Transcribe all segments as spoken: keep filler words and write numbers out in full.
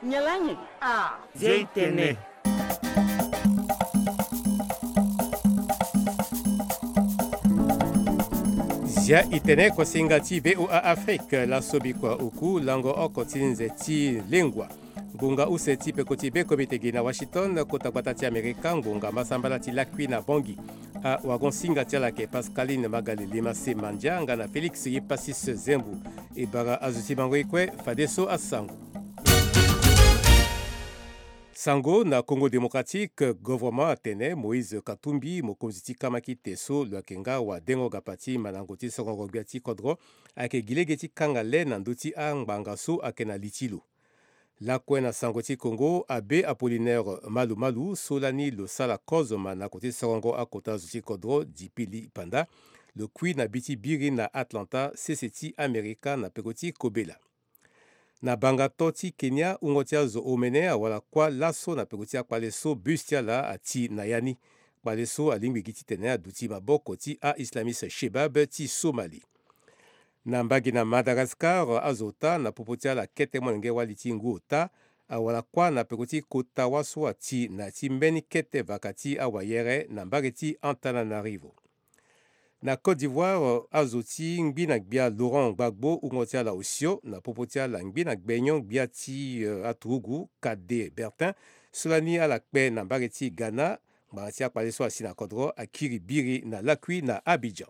Nyen laa nyen? Ah. Zia i tene. Zia i tene, kosinga ti V O A Afrique, laso bikua oku lango oko ti nze ti lengua. Ngonga use ti peko ti be komite gi na Washington, kota gbata ti Amerika, ngonga masambala ti lakui na Bangui. Awagon-singa ti ala ayeke Pascaline Magalele Masse Mandia nga na Félix Yepasis Zembo. E bara azo ti mango e kue, fadeso asango. Sango na Congo Démocratique, gouvernement atene Moïse Katumbi, mokonzi ti kamakite so lo yeke nga wadengo gapa ti mandango ti sorongo gbia ti kodro, ayeke gi lege ti kanga le na ndö ti angbanga so ayeke na li ti lo. Lakue na sango ti Congo, Abbé Apollinaire Malu Malu so lani lo sara kozo ma na kota ti sorongo akota zo ti kodro, Dipili Panda, lo kui na bi ti biri na Atlanta, sese ti Amerika, na peko ti kobela. Na banga to ti Kenya, wungo ti azo omene awara kuâ laso na peko ti akpale so bus ti ala ati na ya ni. Kpale so alingbi gi titene aduti maboko ti a-islamiste Shebab ti Somali. Na mbage na Madagascar, azo ota na popo ti ala kete molenge wali ti ngu ota awara kuâ na peko ti kota wâ so ati na ya ti mbeni kete vaka ti awayere na mbage ti Antananarivo. Na Côte d'Ivoire, azo ti ngbi na gbia Laurent Gbagbo, wungo ti ala osio na popo ti ala ngbi na gbenyo gbia ti, eh, aturugu Cadet Bertin, so lani ala kpe na mbage ti Ghana. Ngbanga ti akpale so asi na kodro akiri biri na lakui na Abidjan.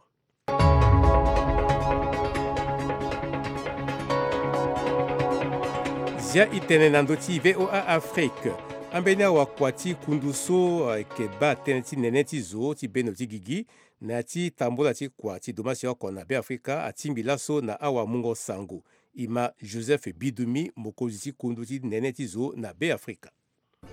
Zia i tene na ndö ti V O A Afrique. Ambeni awakua ti kundu so ayeke baa tënë ti nene ti zo ti bendo ti gigi na ya ti tambula ti kua ti domasi oko na Beafrika atingbi laso na awamungo sango. E ma Joseph Bidumi, mokonzi ti kundu ti nene ti zo na Beafrika.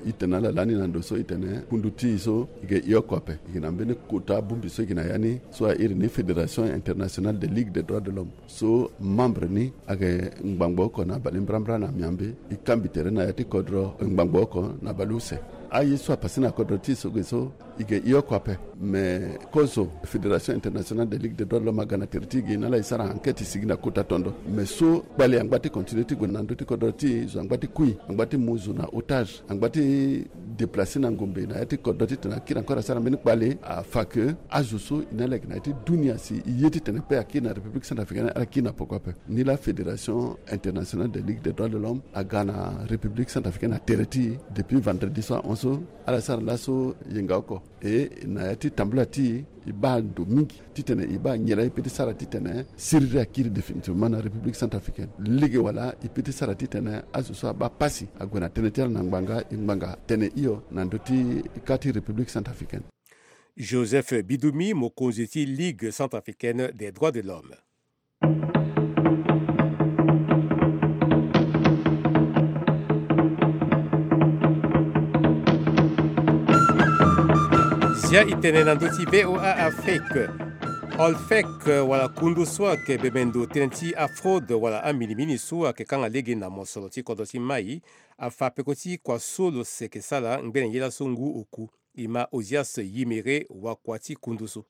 E tene ala lani na ndo so e tene kundu ti e so e yeke e oko ape. E yeke na mbeni kota bongbi so e yeke na ya ni so a iri ni Fédération Internationale des Ligues des Droits de l'Homme. So membre ni ayeke ngbangbo oko na balebrambra na miambe. E kambi tere na ya ti kodro ngbangbo oko na baleuse. Aye so apase na kodro ti e so ge so e yeke e oko ape. Me kozo Fédération Internationale des Ligues des Droits de l'Homme aga na tere ti e ge na ala e sara enquête e sigi na kota tondo. Me so kpale angba ti continuer ti gue na ndö ti kodro ti e, zo angba ti kui, angba ti mu zo na otage, angba ti déplacer na ngombe na ya ti kodro titene akiri encore asara mbeni kpale. Afa ke azo so e na ala yeke na ya ti dunia si e ye titene pe akiri na République Centrafricaine, ala kiri na poko ape. Ni la Fédération Internationale des Ligues des Droits de l'Homme aga na République Centrafricaine na tere ti e depuis vendredi so ahon so. Ala sara laso yenga oko. E na ya ti tambula ti e, e baa ndo mingi titene e baa nyen laa e peut ti sara titene siriri akiri définitivement na République Centrafricaine. Lege wala e peut ti sara titene azo so abaa pasi ague na tënë ti ala na ngbanga, e ngbanga tene hio na ndö ti ka ti République Centrafricaine. Joseph Bidumi, mokonzi ti Ligue Centrafricaine des Droits de l'Homme. Zia i tene na ndö ti V O A Afrique. Olfec, wala kundu so ayeke bembe ndo tënë ti afraude wala aminimini so ayeke kanga lege na mosoro ti kodro ti mai, afa peko ti kua so lo seke sara ngbene ye laso ngu oku. E ma Ozias Yimere, wakua ti kundu so.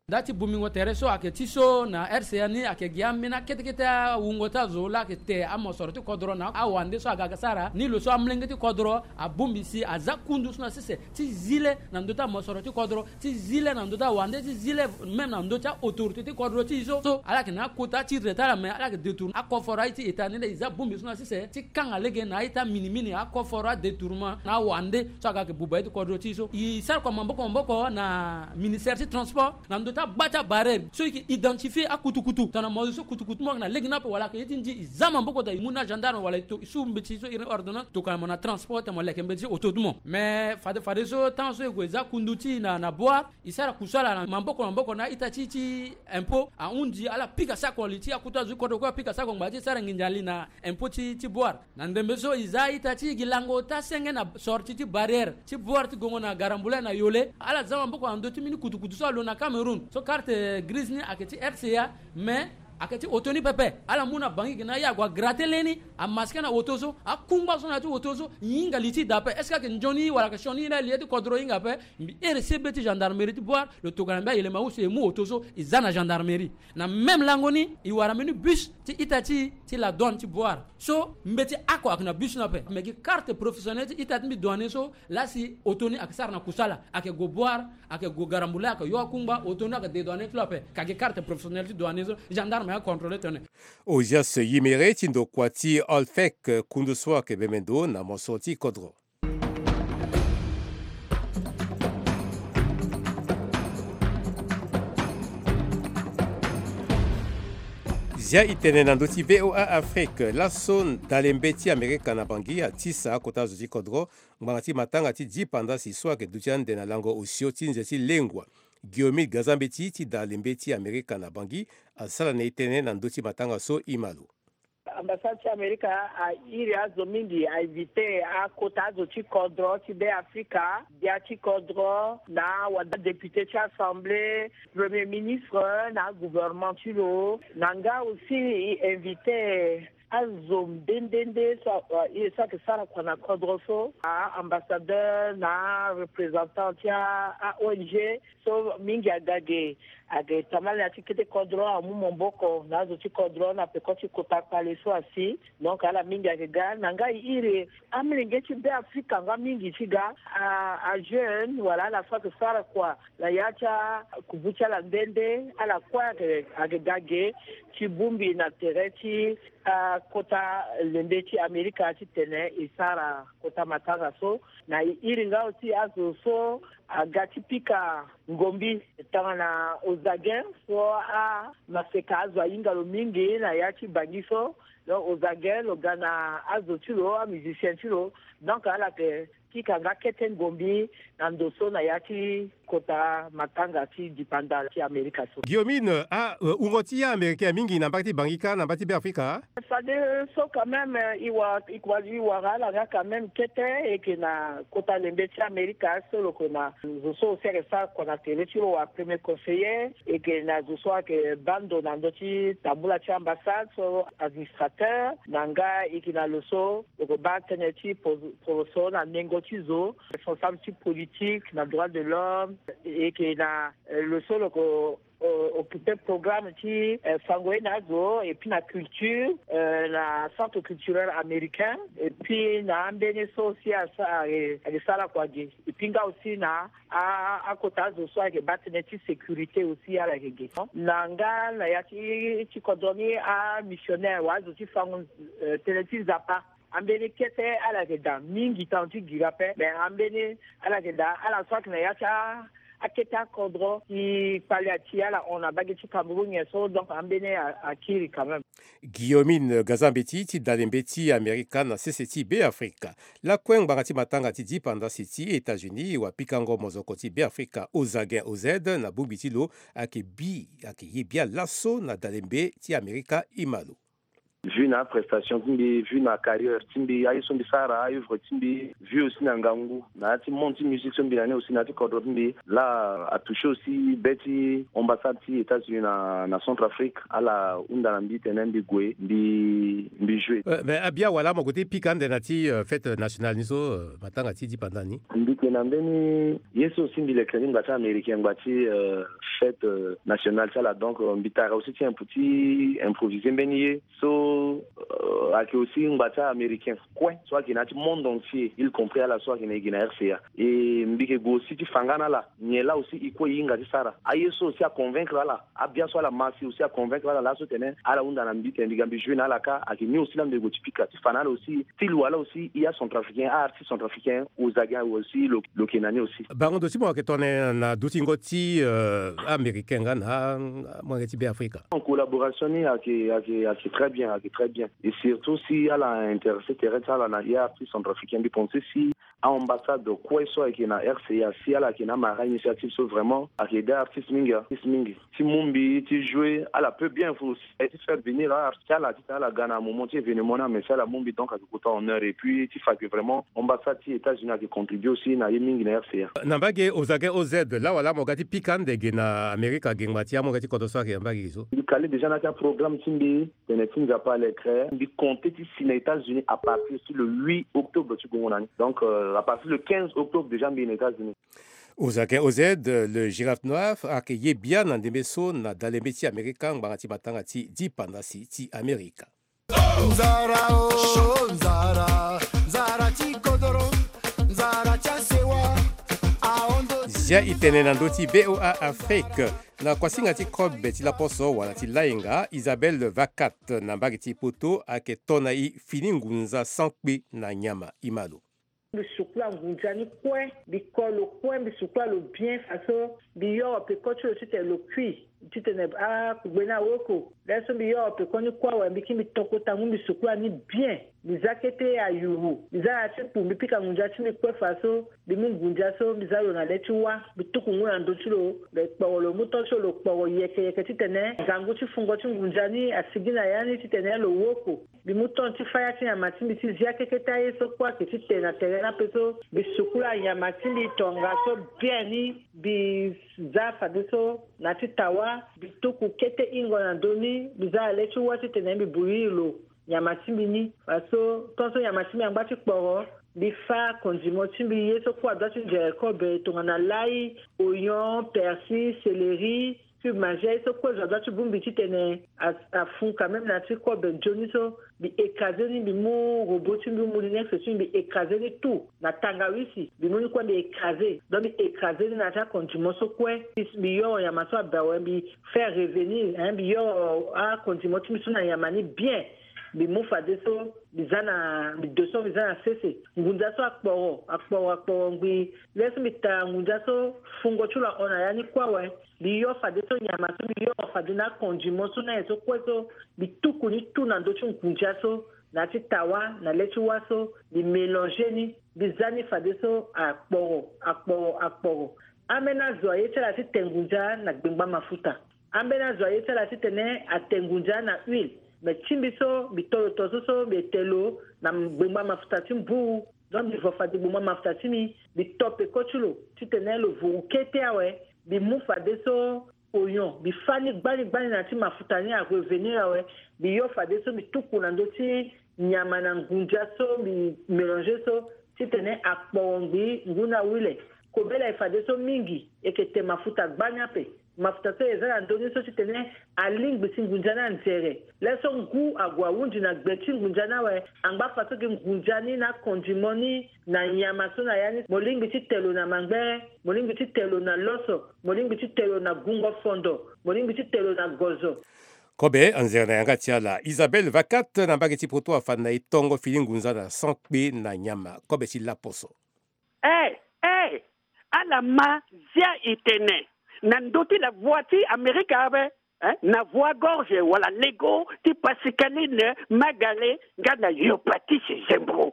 Nda ti bongbingo tere so ayeke ti so na R C A ni ayeke gi ambeni akete kete awungo ti azo laa ayeke te amosoro ti kodro na awande so aga sara ni lo so amolenge ti kodro abongbi si aza kundu so na sese ti zi le na ndö ti amosoro ti kodro, ti zi le na ndö ti awande, ti zi le même na ndö ti a-autorité ti kodro ti e so. So ala yeke na akota ti retard, mais ala yeke détourner akoforo aye ti État ni laa e za bongbi so na sese ti kanga lege na a-ita minimini, akoforo, adétournement na awande so aga yeke buba ye ti kodro ti e so. E sara kua maboko maboko na ministère ti transport na ndö ti agba ti abarrière so e yeke identifier akutukutu. Tongana mo zo so kutukutu mo yeke na lege ni ape wala ayeke ye ti ndi, e za maboko daa, e mu na gendarme wala e to, e su mbeti so e iri ni ordonnance, tokua mo na transport tene mo leke mbeti ti auto ti mo. Mais fade, fadeso temps so e gue e za kundu ti e na, na Bouar, e sara kusala na maboko na maboko na a-ita ti, ti impôt. Ahundi ala pika sako li ti akota zo ti kodro kue, apika sako ngbanga ti e sara nginza li na impôt ti, ti Bouar. Na ndembe so e za a-ita ti e gi lango ota senge na sortie ti barrière ti Bouar ti gongo na Garambulay na Yole. Ala za maboko na ndö ti mbeni kutukutu so alo na Cameroun. So carte grise ni ayeke ti R C A, mais Ayeke ti oto ni pepe. Ala mu na bangi gi na ye ague agrate leni, amaske na oto so, akungba so na ya ti oto so, hinga li ti da ape. Est-ce que ayeke nzoni wala ayeke sioni ye na li ti kodro hinga ape? Mbi iri sebe ti gendarmerie ti Bouar, lo tokua na mbi ayelema use e mu oto so e za na gendarmerie. Na même lango ni e wara mbeni bus ti ita ti, ti la douane ti Bouar. So mbeti oko ayeke na bus ni ape. Me gi carte professionnelle ti ita ti mbi douanier so, laa si oto ni ayeke sara na kusala, ayeke gue Bouar, ayeke gue Garambula, ayeke yo akungba, oto ni ayeke dédouaner ti lo ape. Ka gi carte professionnelle ti douanier so, gendarme acontrôler tene. Ozias Yimere ti ndokua ti Olfec, kundu so ayeke bembe ndo na mosoro ti kodro. Zia e tene na ndö ti V O A Afrique, laso dalembe ti Amerika na Bangui atisa akota zo ti kodro ngbanga ti matanga ti dipanda si so ayeke duti ande na lango osio ti nze ti lengua. Guillaume Gazambeti ti dalembe ti Amerika na Bangui asara na e tënë na ndö ti matanga so e ma lo. Ambassade ti Amerika airi azo mingi, ainvite akota azo ti kodro ti Be Afrika, gbia ti kodro na wada député ti assemblée, premier ministre na gouvernement ti lo. Na nga aussi e invite azo nde nde nde so, eh, so ayeke sara kua na kodro so, a ambassadeur na représentant ti a, a O N G. So mingi aga ge, aga tambala na ya ti kete kodro amu maboko na azo ti kodro na peko ti kota kpale so asi. Donc ala mingi ayeke ga na nga e iri amolenge ti Be Afrika nga mingi ti ga, a, ajeune wala ala so ayeke sara kua na ya ti akubu ti ala nde nde, ala kue ayeke, ayeke ga ge ti bongbi na tere ti, a, kota lembe ti Amerika titene e sara kota matanga so. Na e iri nga aussi azo so aga ti pika ngombi tongana Ozagen so, a, maseka azo ahinga lo mingi na ya ti Bangui so. Donc Ozagen lo ga na azo ti lo, amusicien ti lo. Donc ala yeke pika nga kete ngombi na ndo so na ya ti kota matanga ti dipanda ti Amerika so. Guillaume, a, wungo ti aaméricain mingi na mbage ti Bangui kâ na mbage ti Be Afrika? Fade so quand même, eh, e wara, e wara, e wara ala nga quand même kete, e yeke na kota lembe ti Amerika so lo yeke na zo so aussi ayeke sara kua na tere ti lo wara premier conseiller, e yeke na zo so ayeke baa ndo na ndö ti tambula ti ambassade so administrateur, na nga e yeke na lo so lo yeke baa tënë ti po-, poroso na nengo ti zo, responsable ti politique na droit de l'homme, e yeke na, eh, lo so lo yeke o-, occuper programme ti, eh, fango ye na azo, et puis na culture, eh, na centre culturel américain, et puis na ambeni so aussi asa, eh, ayeke sara kua ge, et puis nga aussi na a, akota azo so ayeke baa tënë ti sécurité aussi ala yeke ge. Na nga na ya ti, ti kodro ni, amissionnaire wala azo ti fango, eh, tënë ti Nzapa. Ambeni kete ala yeke daa mingi, tanga ti gira ape, me ambeni ala yeke daa ala so ayeke na ya ti a, akete akodro ti kpale ati ala hon na mbage ti Cameroun nyen so, donc ambeni a, akiri quand même. Guillaume Gazambeti ti dalembe ti Amerika na sese ti Be Afrika. Lakue ngbanga ti matanga ti dipanda si ti États-Unis, wapikango mozoko ti Be Afrika Ozagen Oz na bongbi ti lo ayeke bi, ayeke ye bia laso na dalembe ti Amerika e ma lo. Vu na aprestation ti mbi, vu na acarrière ti mbi, aye so mbi sara, aœuvre ti mbi, vu aussi na ngangu na ya ti monde ti musique so mbi na ni aussi na ya ti kodro ti mbi, laa atouché aussi be ti ambassade ti États-Unis na, na Centrafrique. Ala hunda na mbi titene mbi gue, mbi, mbi jouer. Euh, mais abia wala mo gue ti pika ande na ya ti, euh, fête nationale ni so, euh, matanga ti dipanda ni? Mbi ke na mbeni ye so aussi mbi leke ni ngba ti américain, ngba ti, euh, fête, euh, nationale ti ala. Donc, euh, mbi tara aussi ti imp-, ti improviser mbeni ye so, euh, ayeke aussi ngba ti américain kue so ayeke na ya ti monde entier, y compris ala so ayeke na e gi na R C A. E mbi yeke gue aussi ti fa nga na ala nyen laa aussi e kue e hinga ti sara. Aye so aussi aconvaincre ala, abia so ala ma si aussi aconvaincre ala laso titene ala hunda na mbi titene mbi ga mbi jouer na ala kâ. Ayeke ni aussi laa mbi yeke gue ti pika ti fa na ala aussi, ti lo ala aussi e acentrafricain, aartiste centrafricain Ozagen aussi lo, lo yeke na ni aussi. Bango ndo ti mo ayeke tongana na dutingo ti, euh, américain nga na amolenge ti Be Afrika? En collaboration ni ayeke, ayeke, ayeke très bien, ayeke très bien. Et surtout si ala intéressé tere ti ala na e aartiste centrafricain, mbi pensé si Ambassade kue so ayeke na R C A si ala yeke na amara initiative so vraiment ayeke aidé artiste mingi, artiste mingi ti mu mbi ti jouer, ala peut bien aussi ti faire venir artiste ala ti ala ga na moment ti événement ni, mais si ala mu mbi donc ayeke kota honneur et puis ti fa que vraiment ambassade ti États-Unis ayeke contribuer aussi na ye mingi na R C A. Na mbage Ozage O Z, lawala mo ga ti pika ande ge na Amerika, gengba ti amu ga ti kodro so ayeke na mbage ge so. Mbi kale déjà na ya ti aprogramme ti mbi, tene ti Nzapa a lekre, mbi compter ti si na États-Unis à partir ti le huit octobre ti gongo na ni. Donc, euh, à partir le quinze octobre déjà mbi na États-Unis. Ozage O Z, le Girafe Noir, ayeke ye bia na ndembe so na dalembe ti Amerika, ngbanga ti matanga ti dipandasi ti Amerika. Nzara o, nzara, nzara ti kodoro, nzara ti asewa, aondo. Zia e tene na ndö ti V O A Afrique. Na kuasinga ti kobe ti laposo wala ti lainga, Isabelle Vacat na mbage ti Poto ayeke to na e fini ngunza sans kpe na nyama. E ma lo. Mbi sukula ngunza ni kue, mbi ko lo kue, mbi sukula lo bien faso mbi yoro peko ti lo titene lo kui, titene akugbe ni awoko. Laso mbi yoro peko ni kue awe, mbi kiri mbi to kota ngu mbi sukula ni bien. Mbi za kete ayuru, mbi za na ya ti kpu, mbi pika ngunza ti mbi kue faso mbi mu ngunza so mbi za lo na le ti wâ, mbi tuku ngu na ndö ti lo. Lo kporo, lo mu to ti lo, lo kporo yeke yeke titene ngangu ti fungo ti ngunza ni asigi na ya ni titene lo woko. Mbi mu ton ti faya ti nyama ti mbi ti zia keke ti aye so kue ayeke ti te na tere ni ape so. Mbi sukula nyama ti mbi tongaso bien ni. Mbi za fadeso na ti tawa, mbi tuku kete hingo na ndö ni, mbi za na le ti wâ titene mbi buyiri lo nyama ti mbi ni. Faso tongaso nyama ti mbi angba ti kporo, mbi fâ condiment ti mbi, ye so kue adua ti nzere kobe tongana l'ail, oignon, persil, céleri, cube manger, ye so kue zo adua ti bongbi titene a, afun quand même na ya ti kobe nzoni so. Mbi écraser ni, mbi mu robot ti mbi, moulinex ti mbi, mbi écraser ni tout na tangawisi, mbi mu ni kue mbi écraser. Donc mbi écraser ni na ya ti acondiment so kue. Mbi yoro nyama so abe awe, mbi faire revenir, hein, mbi yoro acondiment ti mbi so na nyama ni bien. Mbi mu fadeso mbi za na, mbi de so mbi za na sese. Ngunza so akporo, akporo, akporo ngbii. Laso mbi tara ngunza so fungo ti lo ahon na ya ni kue awe. Mbi yo fadeso nyama so, mbi yoro fade na acondiment so na nyen so kue so, mbi tuku ni tout na ndö ti ngunza so, na ya ti tawa, na le ti wâ so, mbi mélanger ni, mbi za ni fadeso akporo, akporo, akporo. Ambeni azo aye ti ala ti te ngunza na gbengba mafuta. Ambeni azo aye ti ala titene ate ngunza na huile. Me ti mbi so, mbi to lo to so so, mbi ete lo na gbengba mafuta ti mbuu. Donc mbi vo fade gbengba mafuta ti mbi, mbi to peko ti lo titene lo vuru kete awe. Mbi mu fadeso oignon, mbi fâ ni gbani gbani na ya ti mafuta ni, arevenir awe. Mbi yo fadeso mbi tuku na ndö ti nyama na ngunza so mbi mélanger so, titene akporo ngbii ngu na huile. Kobela e fadeso mingi, e yeke te mafuta gbani ape. Mafuta so e za na ndö ni so titene alingbi ti ngunza ni anzere. Laso ngu ague ahunzi na gbe ti ngunza ni awe. Angba faso gi ngunza ni na condiment ni na nyama so na ya ni. Mo lingbi ti te lo na mangbere, mo lingbi ti te lo na loso, mo lingbi ti te lo na gungo fondo, mo lingbi ti te lo na gozo. Kobe anzere na yanga ti ala. Isabelle Vacat na mbage ti Poto afa na e tongo fini ngunza na sans kpe na nyama. Kobe ti laposo. Eh, eh, ala ma zia e tene na ndö ti la voix ti Amerika ape, eh, na voix gorge wala lego ti Pascaline Magale nga na Yopatisi Zembro.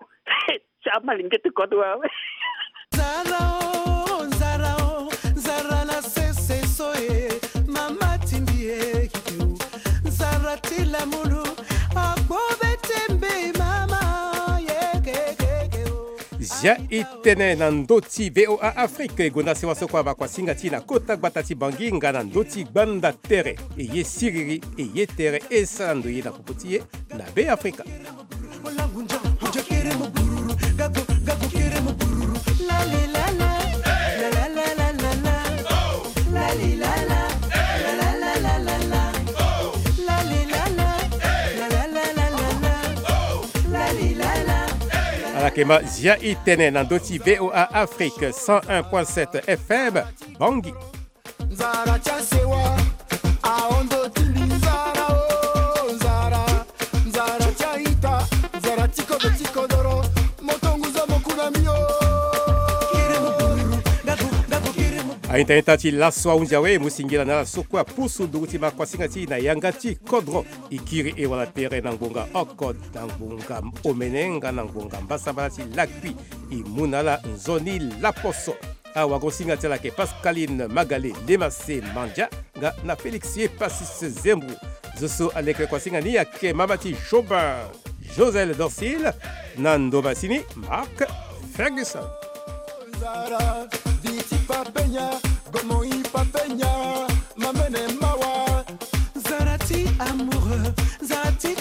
Ti amalenge ti kodro awe. Nzara o, nzara o, nzara na sese so e, mama ti mbi e, nzara ti lamulu, akpo be tembe mama, ye ke ke ke o. Zia e tene na ndö ti V O A Afrique, e gonda sewa so kue abaa kuasinga ti e na kota gbata ti Bangui nga na ndö ti gbanda tere. E ye siriri, e ye tere, e sara ndoye na popo ti e na Be Afrika. Ala yeke ma Zia e tene na ndö ti V O A Afrique cent un point sept F M, Bangui. Nzara ti asewa, ahondo ti mbi. Nzara o, nzara, nzara ti a-ita, nzara ti kodro ti kodoro, moto ngu zo mo ku na mbi o. Aita-ita ti laso ahunzi awe, mo singila na ala so kue apusu nduru ti makuasinga ti e na yanga ti kodro. E kiri e wala tere na ngbonga oko, na ngbonga omene nga na ngbonga mbasambala ti lakui. E mu na ala nzoni laposo. Awagosinga ti ala ayeke Pascaline Magale, Lemase Mandia, nga na Félix Epasis Zembro. Zo so aleke kuasinga ni ayeke mama ti Jobin Josel Dorcil, na ndo masini Marc Ferguson. Zara, viti papenya, gomoi papenya, mamene mawa. Zara ti amoureux, zara ti